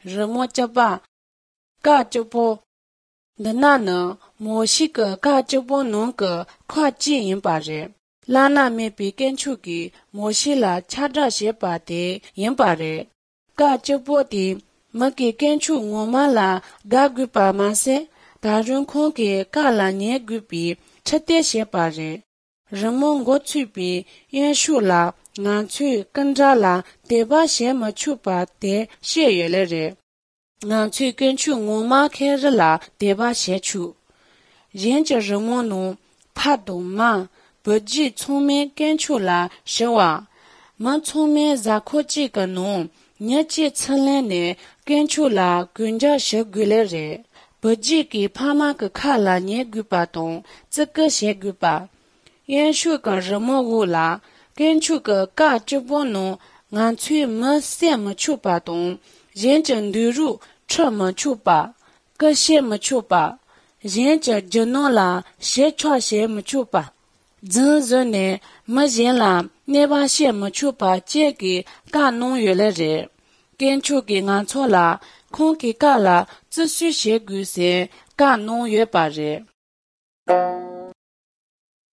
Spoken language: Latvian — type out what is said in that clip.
rmo chapa ka chopo dana na mo shi ka ka chopo no ka khwa ji yin pa re lana me pi kenchu ki mo shi la cha da she pa de yin pa re ka chopo di ma ki kenchu ngo ma la ga gu pa ma se da run khong ke ka la nye gu pi chate she pa re rmo ngo chu pi yin shu la nga chu kan ra la de ba she ma chu pa de she ye le re nga chu ken chu ngo ma khe ra la de ba she chu yin je rmo no pa do ma bo ji chong me ken chu la she wa ma chong me za kho ji ka no nya chi chen le ne ken chu la gun ja she gu le re bo ji ki pa ma ka kha la nye gu pa tong zhe ge she gu pa yin shu ka rmo wu la ken chu ka ka zhe bo no ngan chu ma se ma chu pa tong yin zhen du ru che ma chu pa ge she ma chu pa yin zhe zhe no la she chua she ma chu pa zhen zhen ne ma yin la ne ba she ma chu pa jie ge ka nong yue le re ken chu ge ngan cho la kong ge ka la zhi xu she gu se ka nong yue pa re